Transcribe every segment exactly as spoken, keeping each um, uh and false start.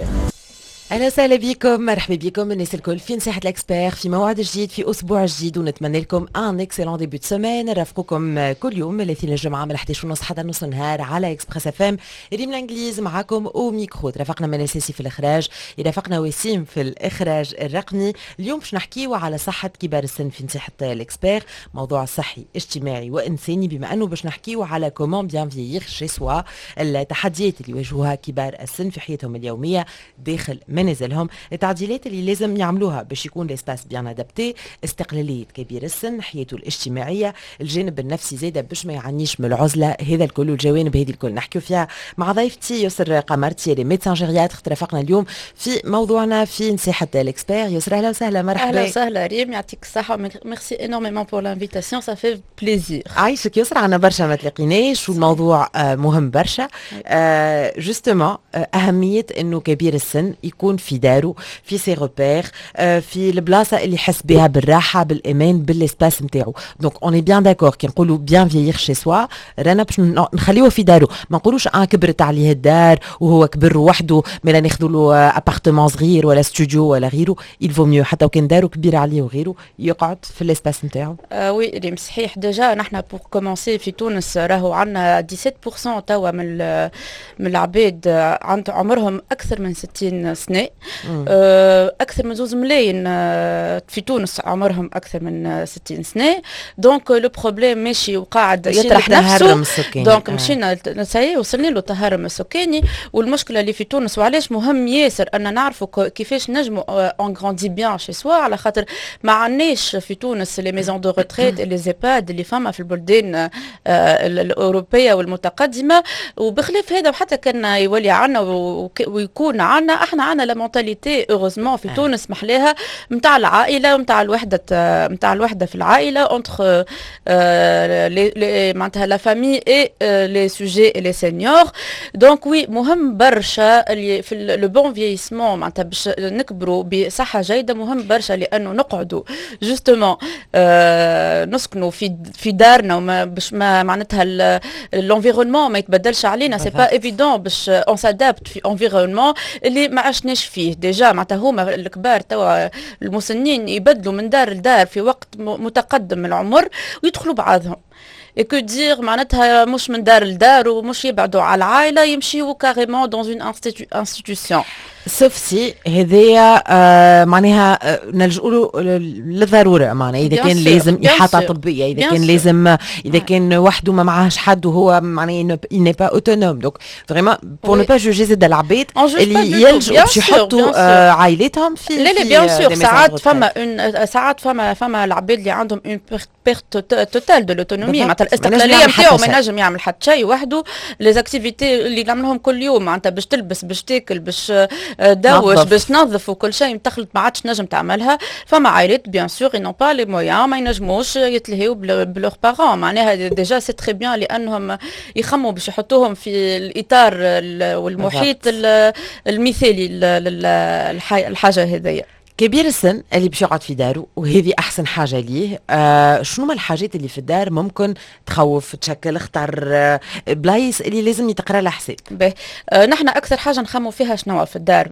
l'expert. اهلا وسهلا بكم، مرحبا بكم الناس الكل في نصيحة l'expert، في موعد جديد، في اسبوع جديد، ونتمنى لكم un excellent début de semaine. نرافقكم كل يوم من الاثنين للجمعة من احداش ونص حتى نص النهار على Express FM. ريم الانجليز معاكم au micro، ترافقنا من الاساسي في الاخراج، يرافقنا وسيم في الاخراج الرقمي. اليوم باش نحكيو على صحة كبار السن في نصيحة l'expert، موضوع صحي اجتماعي وانساني، بما انه باش نحكيو على comment bien vieillir chez soi، التحديات اللي يواجهوها كبار السن في حياتهم اليومية داخل منازلهم، التعديلات اللي لازم يعملوها باش يكون l'espace bien adapté، استقلالية كبير السن، حياته الاجتماعيه، الجانب النفسي زاده باش ما يعانيش من العزله. هذا الكل والجوانب هذه الكل نحكيو فيها مع ضيفتي يسر قمرتي اللي médecin gériatre، ترافقنا اليوم في موضوعنا في نصيحة l'expert. يسر، اهلا وسهلا، مرحبا. اهلا وسهلا ريم، يعطيك الصحه، merci énormément pour l'invitation، ça fait plaisir. عايشك يسرا، عنا برشا ما تلاقيناش والموضوع آه، مهم برشا، justement آه، اهمية انه كبير السن يكون في داره، في ses repères، في البلاصة اللي يحس بها بالراحه، بالامان، بال espace نتاعو. donc on est bien d'accord كي نقولوا bien vieillir chez soi، رانا باش نخليوه في دارو، ما نقولوش اه كبرت عليه الدار وهو كبر وحده مالا ناخذوا له appartement صغير ولا ستوديو ولا غيره. il vaut mieux حتى وكان دارو كبيرة عليه وغيره يقعد في l'espace نتاعو. آه oui ريم، صحيح. déjà نحن pour commencer في تونس راهو عندنا سبعطاش في المية توا من من العباد عند عمرهم اكثر من ستين سنه، آه، اكثر من زوز ملايين آه، في تونس عمرهم اكثر من ستين سنه. donc le problème ماشي وقاعد يطرح نفسه، donc آه. مشينا ça y est وصلنا له التهرم السكاني. والمشكلة اللي في تونس، وعلاش مهم ياسر ان نعرفوا كيفاش نجموا on grandit bien chez soi، على خاطر ما عندناش في تونس les maisons de retraite، les EHPAD اللي فما في البلدان الاوروبية والمتقدمه. وبخلاف هذا، وحتى كان يولي عنا ويكون عنا، احنا عنا la mentalité heureusement في تونس محلاها نتاع العائلة ونتاع الوحده، نتاع الوحدة في العائلة entre معناتها la famille et les sujets les seniors. donc oui، مهم برشا اللي في le bon vieillissement، معناتها باش نكبروا بصحة جيده، مهم برشا لانه نقعدوا justement نسكنوا في في دارنا وما باش ما معناتها l'environnement ما يتبدلش علينا. c'est pas évident باش on s'adapte في environnement اللي ما عشناش فيه déjà. معناتها هما الكبار توا المسنين يبدلوا من دار لدار في وقت متقدم من العمر ويدخلوا بعضهم et que dire، معناتها مش من دار لدار ومش يبعدوا على العائله، يمشيوا carrément dans une institution. sauf si هذايا آه معناها آه نلجؤوا له للضروره، معناها اذا كان لازم احاطة طبيه، اذا كان لازم، اذا كان وحده ما معاهش حد وهو معناها il n'est pas autonome. donc vraiment pour ne pas juger زاد العباد اللي يلجؤوا باش يحطوا آه عائلاتهم في لا لا، bien sûr، ساعات فما une ساعات فما فما العباد اللي عندهم une perte totale de l'autonomie، معناتها الاستقلالية نتاعو ما ينجم يعمل حتى شيء وحده. les activités اللي نعملهم كل يوم، معناتها باش تلبس، باش تاكل، باش دوش، باش تنظف وكل شيء، تخلط ما عادش نجم تعملها. فما عائلات bien sûr n'ont pas les moyens، ما ينجموش يتلهيو ب leurs parents. معناها déjà c'est très bien لانهم يخموا باش يحطوهم في الاطار والمحيط المثالي للحاجة هذيا. كبير السن اللي باش يقعد في داره وهذه احسن حاجة ليه، آه شنو ما الحاجات اللي في الدار ممكن تخوف، تشكل خطر، آه بلايص اللي لازم يتقرا لها حساب؟ باهي، آه نحن اكثر حاجة نخمو فيها شنو في الدار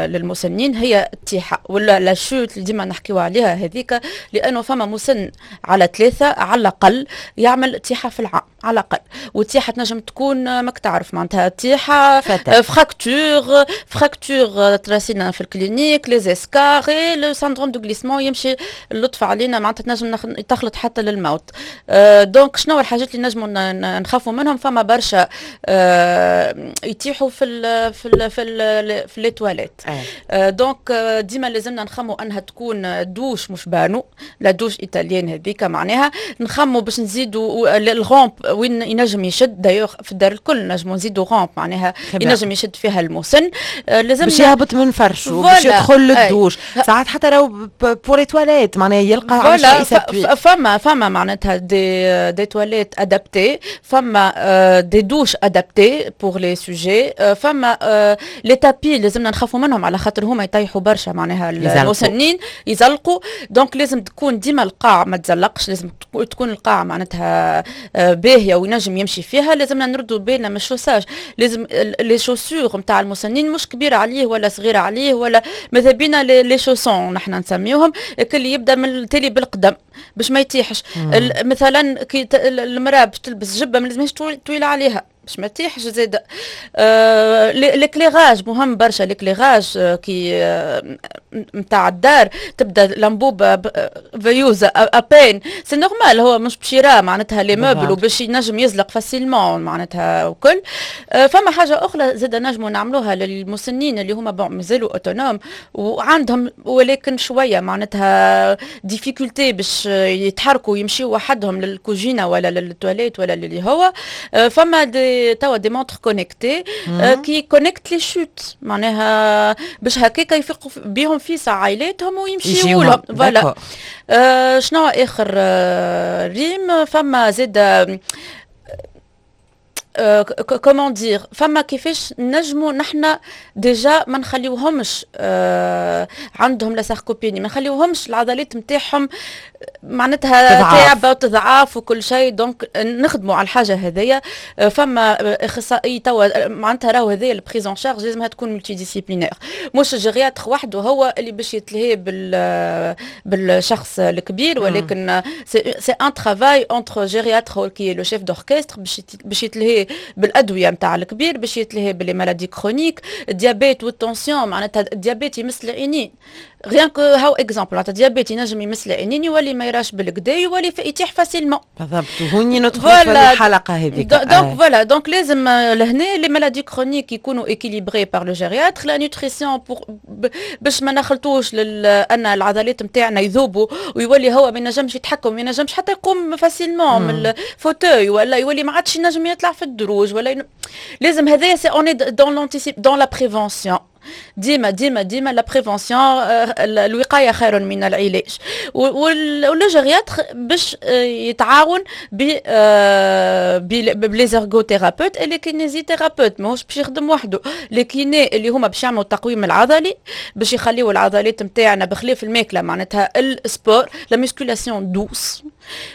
للمسنين هي التيحه ولا la chute اللي ديما نحكيو عليها هذيك، لانه فما مسن على ثلاثة على الاقل يعمل تيحه في العام على الاقل. والتيحه تنجم تكون ماك تعرف معناتها تيحه fracture fracture تراسينا في ال clinique، les escarres، le syndrome de glissement، يمشي اللطف علينا معناتها تنجم تخلط حتى للموت. أه donc شنو الحاجات اللي نجموا نخافوا منهم؟ فما برشا أه يتيحوا في ال في ال في ال في les toilettes. أه donc ديما لازمنا نخموا انها تكون دوش مش بانو، la douche italienne هذيك. معناها نخموا باش نزيدوا ال rampe وين ينجم يشد. d'ailleurs في الدار الكل نجموا نزيدوا rampe معناها ينجم يشد فيها المسن. آه، لازم باش يهبط من فرشه، باش يدخل للدوش. ساعات حتى راهو pour les toilettes معناها يلقى. voilà، فما فما معناتها des des toilettes adaptées، فما des douches adaptées pour les sujets، فما les tapis لازمنا نخافوا منهم على خاطر هما يطيحوا برشا، معناها المسنين يزلقوا، donc لازم تكون ديما القاع ما تزلقش، لازم تكون القاع معناتها باهيه وينجم يمشي فيها. لازمنا نردوا بالنا من ال chaussage، لازم les chaussures نتاع المسنين مش كبيرة عليه ولا صغيرة عليه، ولا ماذا بينا les chaussons نحن نسميوهم اللي يبدا من التالي بالقدم باش ما يتيحش. مثلا كي المراة باش تلبس جبه ما لازمهاش طويلة عليها باش ما تيحش زاد. آه l'éclairage مهم برشا، l'éclairage آه كي نتاع الدار تبدا l'ampoule veilleuse à peine، c'est normal، هو مش باش يرى معناتها les meubles وباش ينجم يزلق facilement معناتها وكل. آه فما حاجة اخرى زاد نجموا نعملوها للمسنين اللي هما bon مازالوا autonomes وعندهم ولكن شوية معناتها difficulté باش يتحركوا ويمشيوا وحدهم للكوجينه ولا للتواليت ولا اللي هو آه فما des توا des montres connectées qui connectent les chutes، معناها باش هكاك يفيقوا بيهم في عائلاتهم ويمشيوا لهم. voilà. آه شنو اخر آه ريم؟ فما زاد comment dire، فما كيفاش نجموا نحن déjà ما نخليوهمش آه عندهم la sarcopénie، ما نخليوهمش العضلات نتاعهم معناتها تعبه وتضعاف وكل شيء، donc نخدموا على الحاجة هذيا. آه، فما اخصائي توا معناتها راهو هذايا ال prise en charge لازمها تكون multidisciplinaire، مش ال gériatre وحده هو اللي باش يتلهي بال بالشخص الكبير، ولكن c'est un travail entre gériatre qui est le chef d'orchestre باش باش يتلهي بالادوية نتاع الكبير، باش يتلهي ب les maladies chroniques، ال diabète وال tension. معناتها ال diabète يمس العينين، rien que هاو exemple، معناتها ال diabète ينجم يمس العينين، يولي ما يراش بالقدا، يولي يتيح facilement. بالضبط، وهوني ندخل في الحلقة هذيك. donc voilà، donc لازم لهنا les maladies chroniques يكونوا équilibrées par le gériatre، la nutrition pour باش ما نخلطوش ان العضلات نتاعنا يذوبوا ويولي هو ما ينجمش يتحكم، ما ينجمش حتى يقوم facilement من ال fauteuil، ولا يولي ما عادش ينجم يطلع في الدروج ولا ين... لازم هذايا c'est on est dans l'anticip dans la prévention، ديما ديما ديما la prévention، الوقاية خير من العلاج. و le gériatre باش يتعاون ب ب les ergothérapeutes et les kinésithérapeutes، ماهوش باش يخدم وحده. les kinés اللي هما باش يعملوا التقويم العضلي باش يخليوا العضلات نتاعنا، بخلاف الماكله، معناتها ال sport، la musculation douce،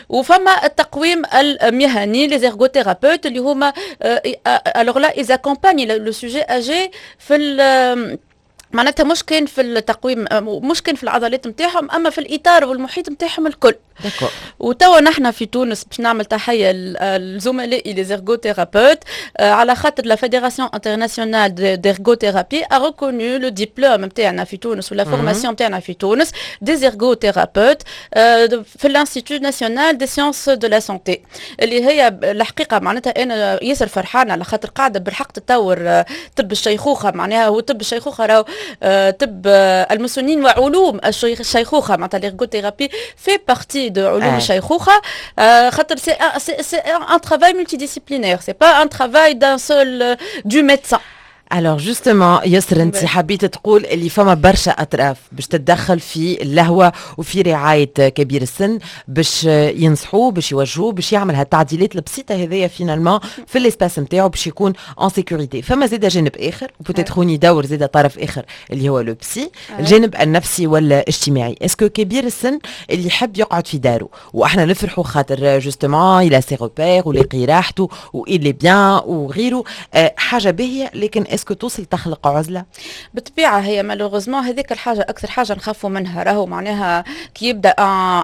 وفما التقويم المهني les ergothérapeutes اللي هما alors là ils accompagnent le sujet âgé في معناتها مش كان في التقويم، مش كان في العضلات نتاعهم، اما في الاطار والمحيط نتاعهم الكل. وتوا نحن في تونس باش نعمل تحية لزملائي les ergothérapeutes على خاطر la fédération internationale d'ergothérapie a reconnu le diplôme نتاعنا في تونس ولا formation نتاعنا في تونس des ergothérapeutes في l'Institut national des sciences de la santé، اللي هي الحقيقة معناتها انا ياسر فرحانة على خاطر قاعدة بالحق تطور طب الشيخوخه. معناها هو طب الشيخوخة راهو طب المسنين وعلوم الشيخوخه، معناتها l'ergothérapie fait partie de علوم آه. الشيخوخه، خاطر c'est c'est un travail multidisciplinaire، c'est pas un travail d'un seul du médecin. alors justement يسر، انت حبيت تقول اللي فما برشا اطراف باش تتدخل في اللهوه وفي رعاية كبير السن، باش ينصحوه، باش يوجهوه، باش يعمل هالتعديلات البسيطة هذيا finalement في l'espace نتاعو باش يكون en sécurité. فما زاد جانب اخر، و peut-être هوني دور زاد طرف اخر اللي هو le psy، الجانب النفسي والاجتماعي. est-ce que كبير السن اللي يحب يقعد في داره، واحنا نفرحوا خاطر justement il a ses repères ولاقي راحته و il est bien وغيره، حاجة باهيه، لكن est-ce que توصل تخلق عزله؟ بالطبيعه، هي malheureusement هذيك الحاجة اكثر حاجة نخافوا منها. راهو معناها كي يبدا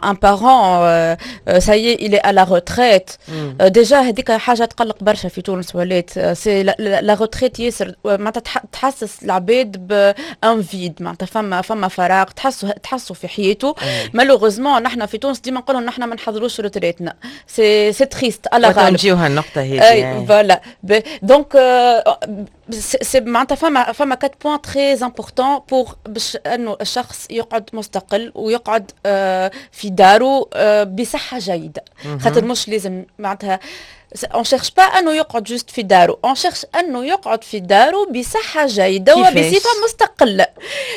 un parent ça y est il est à la retraite، déjà هذيك حاجة تقلق برشا في تونس، ولات c'est la retraite ياسر معناتها تحسس العباد ب un vide، معناتها فما فما فراغ تحسوا تحسوا في حياته. malheureusement نحن في تونس ديما نقولوا نحن ما نحضروش retraite نا، c'est c'est triste. على غالب نجيو هالنقطة هذه. voilà، donc c'est معناتها فما فما quatre points très importants pour باش انه الشخص يقعد مستقل ويقعد آه، في داره آه، بصحة جيده، خاطر مش لازم معناتها on cherche pas انه يقعد juste في دارو، on cherche انه يقعد في دارو بصحة جيدة وبصفه مستقله.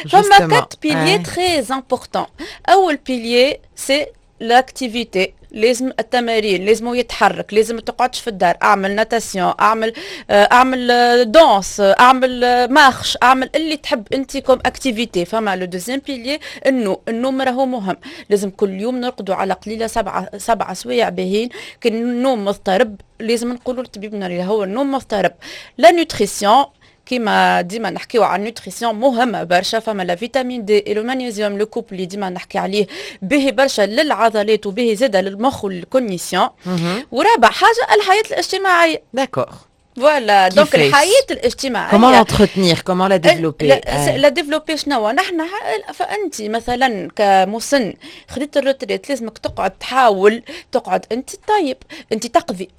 فما quatre piliers très importants. اول pilier c'est l'activité، لازم التمارين، لازم يتحرك، لازم تقعدش في الدار، اعمل natation، اعمل آه، اعمل danse، اعمل marche، اعمل اللي تحب انت comme activité. فما le deuxième pilier انه النوم راهو مهم، لازم كل يوم نرقدوا على قليله سبعه سبعه سوايع باهين. كان النوم مضطرب لازم نقولوا لطبيبنا اللي هو النوم مضطرب. la nutrition، كيما ديما نحكيو على ال nutrition، مهمة برشا. فما la vitamine D et le magnésium، le couple اللي ديما نحكي عليه، به برشا للعضلات وبه زاده للمخ وال cognition. ورابع حاجة الحياة الاجتماعيه. d'accord. voilà، donc الحياة الاجتماعيه. comment l'entretenir، comment la développer؟ la développer شنو نحن؟ فانت مثلا كمسن خديت ال retraite، لازمك تقعد تحاول تقعد انت طيب، انت تقضي،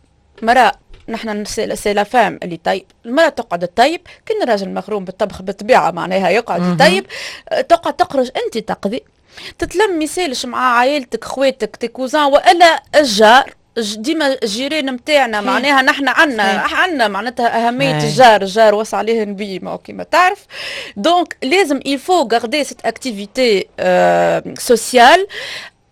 مراة، نحن c'est la femme اللي طيب، المرأة تقعد تطيب، كان الراجل مغروم بالطبخ بالطبيعة معناها يقعد يطيب، تقعد تخرج انت تقضي، تتلم يسالش مع عائلتك، خواتك، tes cousins والا الجار. ديما الجيران نتاعنا معناها نحن عندنا عندنا معناتها اهمية الجار، الجار وصى عليه النبي ما كيما تعرف. donc لازم il faut garder cette activité sociale.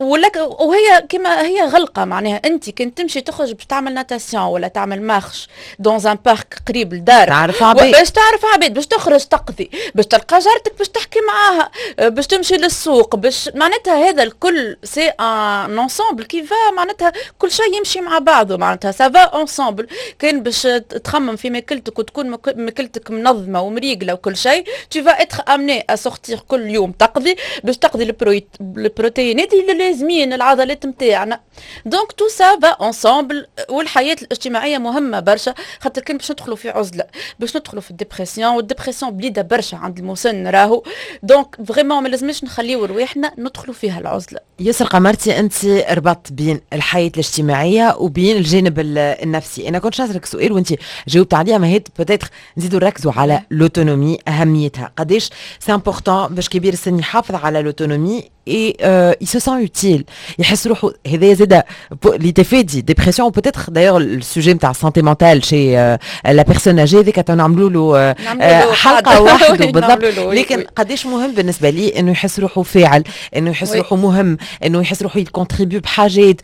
ولك وهي كما هي غلقه، معناها انت كنت تمشي تخرج باش تعمل natation ولا تعمل marche dans un parc قريب لدارك. تعرف عباد. باش تعرف عباد، باش تخرج تقضي، باش تلقى جارتك باش تحكي معاها، باش تمشي للسوق، باش معناتها هذا الكل c'est un ensemble qui va، معناتها كل شيء يمشي مع بعضه، معناتها ça va ensemble. كان باش تخمم في ماكلتك وتكون ماكلتك منظمة ومريقله وكل شيء، tu vas être amené à sortir كل يوم تقضي باش تقضي البروتينات اللي لازمين العضلات نتاعنا. donc tout ça va ensemble. والحياة الاجتماعية مهمة برشا، خاطر كان باش ندخلوا في عزله باش ندخلوا في ال dépression، وال dépression بليده برشا عند المسن راهو. donc vraiment ما لازمش نخليو رواحنا ندخلوا فيها العزله. يسر قمرتي، انت ربطت بين الحياة الاجتماعية وبين الجانب النفسي. انا كنت نسألك سؤال وانت جاوبت عليه، ما هي peut-être نزيدوا نركزوا على l'autonomie، اهميتها، قداش c'est important باش كبير السن يحافظ على l'autonomie et il se sent utile، يحس روحه. هذا زاد لتفادي dépression peut-être. d'ailleurs ال sujet نتاع santé mentale chez la personne âgée هذيك نعملوا له حلقة وحده بالضبط، لكن قداش مهم بالنسبة لي انه يحس روحه فاعل، انه يحس روحه مهم، انه يحس روحه ي contribue بحاجات.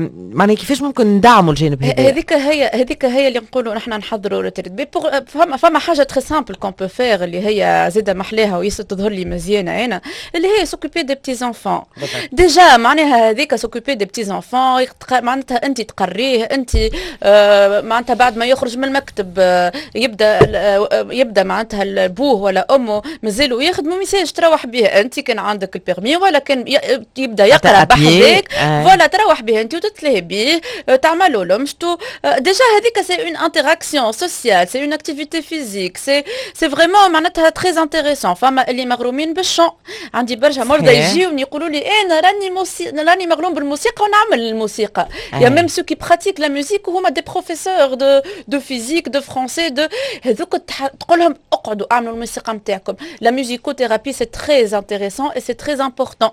معناها كيفاش ممكن ندعموا الجانب هذا؟ هذيك هي هذيك هي اللي نقولوا نحن نحضروا retraite. فما فما حاجة très simple qu'on peut faire اللي هي زاده محلاها وياسر تظهر لي مزيانه انا، اللي هي s'occuper des petits-enfants. déjà معناها هذيك s'occuper des petits-enfants، معناتها انت تقريه انت، آه معناتها بعد ما يخرج من المكتب آه يبدا آه يبدا معناتها بوه ولا امه مازالوا يخدموا، ميسالش تروح به انت كان عندك ال permis ولا كان يبدا يقرا بحذاك، voilà، تروح به انت وتتلهي به، تعملوا له مشتو. déjà هذيك c'est une interaction sociale، c'est une activité physique، c'est c'est vraiment معناتها très intéressant. فما اللي مغرومين بال chant، عندي برشا مرضى يجيوني يقولوا لي انا راني موسي... راني مغروم بالموسيقى ونعمل الموسيقى. y a même ceux qui pratiquent la musique وهما des professeurs de de physique، de français، de هذوك تقول لهم اقعدوا اعملوا الموسيقى نتاعكم. la musicothérapie c'est très intéressant et c'est très important.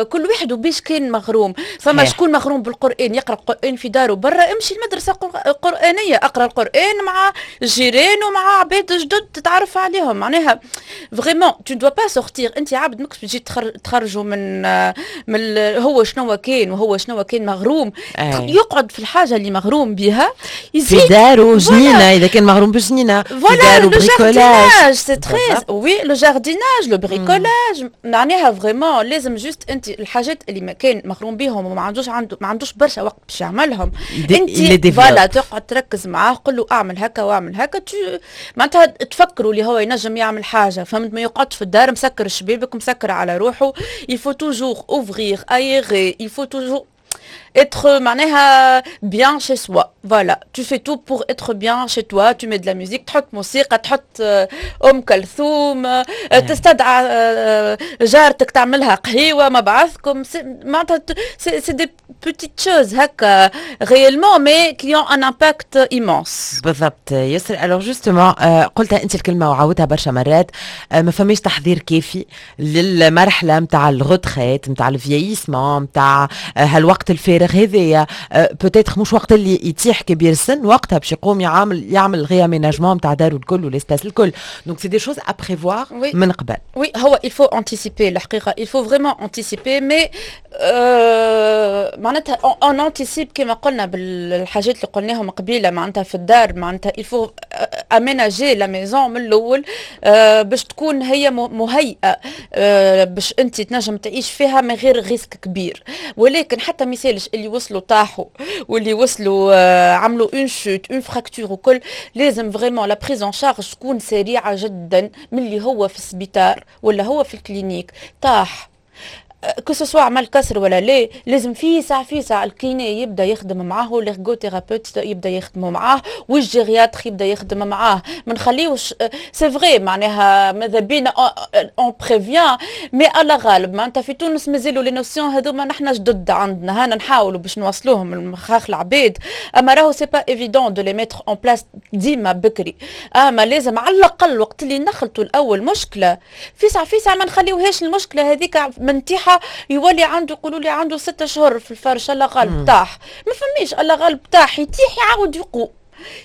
كل واحد وباش كان مغروم. فما شكون مغروم بالقران، يقرا القران في داره برا، امشي المدرسة قرانيه، اقرا القران مع الجيران ومع عباد جدد تتعرف عليهم. معناها vraiment tu dois pas sortir، انت عبد ماكش تجي تخرجوا من من هو شنو كان وهو شنو كان مغروم. أي. يقعد في الحاجة اللي مغروم بها. يزيد في دارو جنينه، اذا كان مغروم بجنينه، في دارو bricolage، c'est très oui، le jardinage، le bricolage، معناها vraiment لازم juste انت الحاجات اللي ما كان مغروم بهم وما عندوش عنده ما عندوش برشا وقت باش يعملهم، انت voilà تقعد تركز معاه، قل له اعمل هكا واعمل هكا، معناتها تفكروا اللي هو ينجم يعمل حاجه، فهمت؟ ما يقعدش في الدار مسكر الشبابك، مسكر على روحه. il faut toujours ouvrir، aérer، il faut toujours être معناها bien chez soi. voilà، tu fais tout pour être bien chez toi، tu mets de la musique، تحط موسيقى، تحط ام كلثوم، تستدعى جارتك تعملها قهيوه مع بعضكم. معناتها c'est des petites choses هكا réellement mais qui ont un impact immense. بالضبط يسر. alors justement قلتها انت الكلمة وعاودتها برشا مرات، ما فماش تحضير كافي للمرحلة نتاع ال retraite، نتاع ال vieillissement، نتاع هالوقت الفارغ. الفارغ هذايا. peut-être مش وقت اللي يتيح كبير السن وقتها باش يقوم يعمل يعمل réaménagement نتاع دارو الكل و l'espace الكل. donc c'est des choses à prévoir من قبل. oui، هو il faut anticiper، الحقيقة il faut vraiment anticiper، mais معناتها on anticipe كما قلنا بالحاجات اللي قلناهم قبيله، معناتها في الدار، معناتها il faut aménager la maison من الاول باش تكون هي مهيئة باش انت تنجم تعيش فيها من غير risque كبير. ولكن حتى ميسالش اللي وصلوا طاحوا واللي وصلوا عملوا une chute، une fracture وكل، لازم vraiment la prise en charge تكون سريعة جدا. من اللي هو في السبيطار ولا هو في ال clinique طاح، que ce soit عمل كسر ولا لا، لازم في ساعة في ساعة ال kiné يبدا يخدم معاه، l'ergothérapeute يبدا يخدم معاه، وال gériatre يبدا يخدم معاه. ما نخليوش، c'est vrai، معناها ماذا بينا on prévient، mais الله غالب، معناتها في تونس مازالوا les notions هذوما نحن جدد عندنا. هانا نحاولوا باش نوصلوهم المخاخ العباد، اما راهو c'est pas évident de les mettre en place ديما بكري. اما لازم على الاقل وقت اللي نخلطوا الاول مشكله، في ساعة في ساعة ما نخليوهاش المشكلة هذيك منتيحه، يولي عنده، يقولوا لي عنده ستة شهور في الفرش، الله غالب طاح. ما فماش الله غالب طاح، يتيح يعاود يقوم،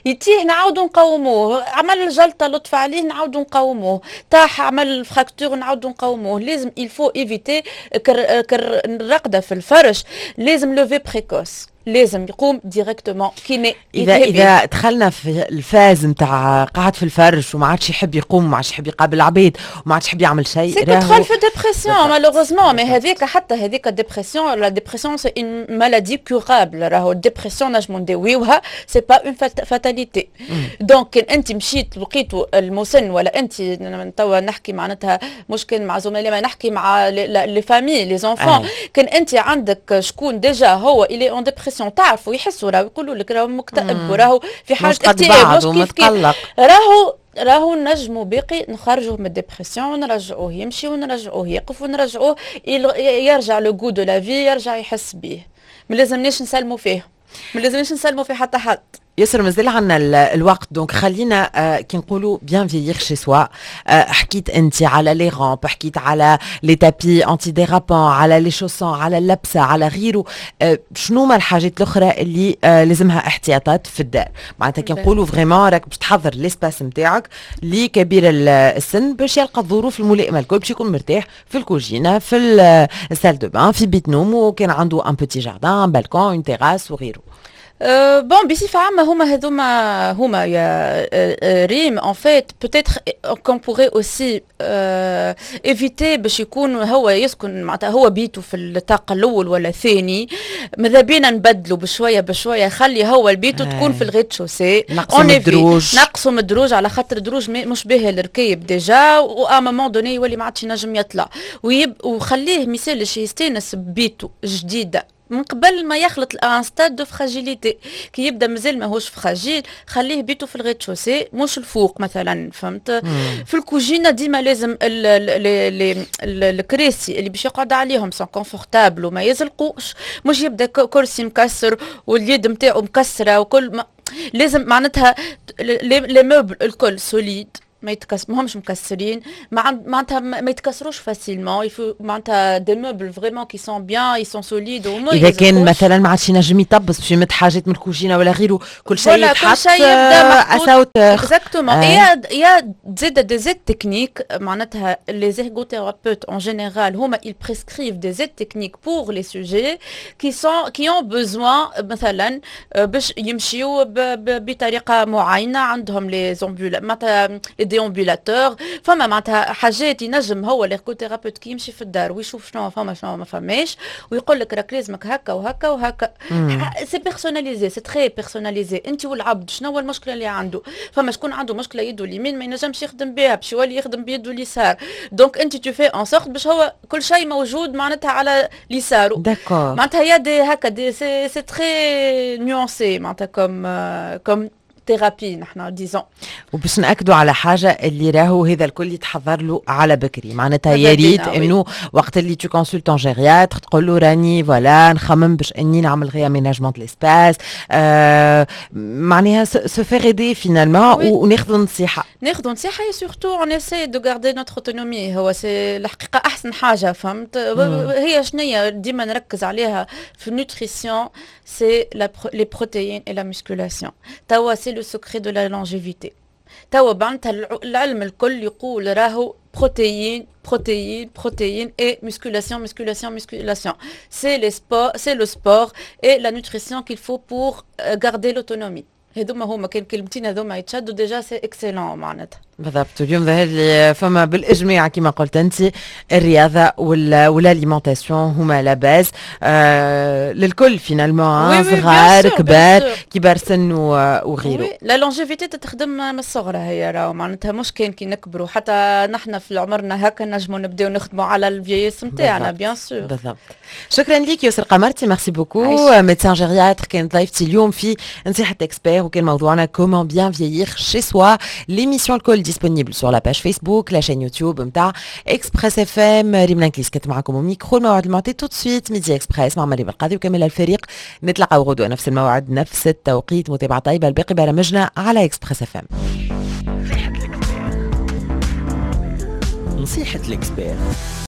يتيح نعاودوا نقوموه، عمل الجلطة لطف عليه نعاودوا نقوموه، طاح عمل fracture نعاودوا نقوموه. لازم il faut éviter كر الرقده في الفرش، لازم lever précoce، لازم يقوم directement kiné. اذا اذا دخلنا في ال phase نتاع قاعد في الفرش وما عادش يحب يقوم وما عادش يحب يقابل العباد وما عادش يحب يعمل شيء. c'est دخل في dépression malheureusement، mais هذيك حتى هذيك dépression، la dépression c'est une maladie curable. راهو ال dépression نجمو نداويوها، c'est pas une fatalité. donc كان انت مشيت لقيتو المسن ولا انت، توا نحكي معناتها مش كان مع زملائي، ما نحكي مع les familles، les enfants، كان انت عندك شكون déjà هو il est en dépression، تعرفوا يحسوا، راهو يقولوا لك راهو مكتئب وراهو في حاله اكتئاب، مش كيف كيف، راهو راهو نجموا باقي نخرجوه من ال dépression ونرجعوه يمشي ونرجعوه يقف ونرجعوه يرجع le goût de la vie، يرجع يحس بيه. ما لازمناش نسلموا فيه، ما لازمناش نسلموا في حتى حد. ياسر مازال عندنا الوقت، donc خلينا آه كي نقولوا bien vieillir chez soi، حكيت انت على les rampes، حكيت على les tapis antidérapants، على les chaussons، على اللبسه، على غيره، آه شنو ما الحاجات الاخرى اللي آه لازمها احتياطات في الدار؟ معناتها كي نقولوا vraiment راك باش تحضر l'espace نتاعك لكبير السن باش يلقى الظروف الملائمة الكل باش يكون مرتاح في الكوجينه، في ال salle de bain، في بيت نوم، وكان عنده un petit jardin، balcon، une terrasse وغيره. bon، بصفة عامة هما هذوما هما يا ريم. en fait peut-être qu'on pourrait aussi éviter باش يكون هو يسكن، معناتها هو بيته في الطاقة الأول ولا الثاني، ماذا بينا نبدلوا بشوية بشوية، خلي هو البيتو تكون في ال rez-de-chaussée. نقصوا من الدروج. نقصوا من الدروج، على خاطر الدروج مش باهي الركيب déjà، و à un moment donné يولي ما عادش ينجم يطلع. ويب وخليه ميسالش يستانس ببيته جديدة من قبل ما يخلط un stade de fragilité. كي يبدا مازال ماهوش fragile، خليه بيتو في ال rez-de-chaussée مش الفوق مثلا، فهمت؟ في الكوجينه ديما لازم الكراسي اللي باش يقعد عليهم sont confortables وما يزلقوش، مش يبدا كرسي مكسر واليد نتاعو مكسرة وكل ما لازم معناتها les meubles الكل solides، ما يتكس ما همش مكسرين، معناتها ما يتكسروش facilement، معناتها des meubles vraiment qui sont bien، ils sont solides. اذا كان مثلا ما عادش ينجم يطبس باش يمد حاجات من الكوجينه ولا غيره، كل شيء يتحط كل شيء يبدا محطوط exactement. il y a زاد des aides techniques، معناتها les ergothérapeutes en général هما ils prescrivent des aides techniques pour les sujets qui sont qui ont besoin مثلا باش يمشيو بطريقة معينه، عندهم les ambula معناتها les déambulateurs. فما معناتها حاجات ينجم هو l'ergothérapeute كي يمشي في الدار ويشوف شنو فما شنو ما فماش ويقول لك راك لازمك هكا وهكا وهكا. c'est personnalisé، c'est très personnalisé، انت والعبد شنو هو المشكلة اللي عنده. فما شكون عنده مشكلة يده اليمين ما ينجمش يخدم بها، باش يولي يخدم بيده اليسار، donc انت tu fais en sorte باش هو كل شيء موجود معناتها على اليسار. d'accord. معناتها y a des هكا des c'est c'est très nuancé معناتها comme comme thérapie نحن disons. وباش ناكدوا على حاجة اللي راهو هذا الكل يتحضر له على بكري، معناتها يا ريت انه وقت اللي tu consultes un gériatre تقول له راني voilà نخمم باش اني نعمل réaménagement de l'espace، آه معناها se faire aider finalement وناخذوا نصيحه. ناخذوا نصيحة et surtout on essaie de garder notre autonomie. هو c'est الحقيقة احسن حاجه، فهمت؟ هي شنية ديما نركز عليها في ال nutrition، c'est les protéines et la musculation. توا c'est le secret de la longévité. توا معناتها العلم الكل يقول راهو protéines، protéines، protéines et musculation، musculation، musculation. C'est les sports، c'est le sport et la nutrition qu'il faut pour garder l'autonomie. هذوما هما كان كلمتين هذوما يتشدوا déjà c'est excellent معناتها. بالضبط. اليوم ظهر لي فما بالاجماع كما قلت انت الرياضة وال alimentation هما la base آه للكل finalement، صغار كبار، كبار سن وغيره. la longévité تتخدم من الصغرى هي راهو، معناتها مش كان كي نكبروا، حتى نحن في عمرنا هكا نجموا نبداو نخدموا على ال vieillesse نتاعنا bien sûr. بالضبط. شكرا لك يسر قمرتي، merci beaucoup، médecin gériatre، كانت ضيفتي اليوم في نصيحة expert وكان موضوعنا comment bien vieillir chez soi. l'émission الكل disponible sur la page Facebook، la chaîne YouTube نتاع Express FM. ريم لانكليس كانت معكم ميكرو. الموعد المعتاد tout de suite Midi Express مع مريم القاضي وكامل الفريق. نتلاقاو غدوه نفس الموعد نفس التوقيت. متابعه طيبة لباقي برامجنا على Express FM. نصيحة l'expert.